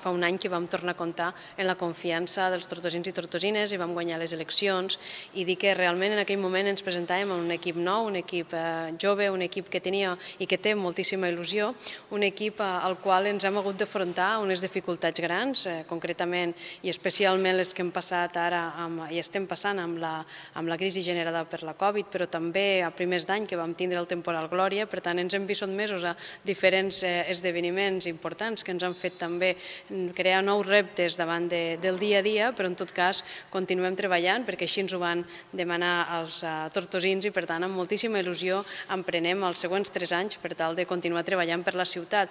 Fa un any que vam tornar a comptar en la confiança dels tortosins i tortosines i vam guanyar les eleccions i dir que realment en aquell moment ens presentàvem a un equip nou, un equip jove, un equip que tenia i que té moltíssima il·lusió, un equip al qual ens hem hagut d'afrontar unes dificultats grans, concretament i especialment les que hem passat ara i estem passant amb la crisi generada per la Covid, però també a primers d'any que vam tindre el temporal Glòria, per tant ens hem vist sotmesos a diferents esdeveniments importants que ens han fet també crear nous reptes davant del dia a dia, però en tot cas continuem treballant perquè així ens ho van demanar els tortosins i per tant amb moltíssima il·lusió emprenem els següents 3 anys per tal de continuar treballant per la ciutat.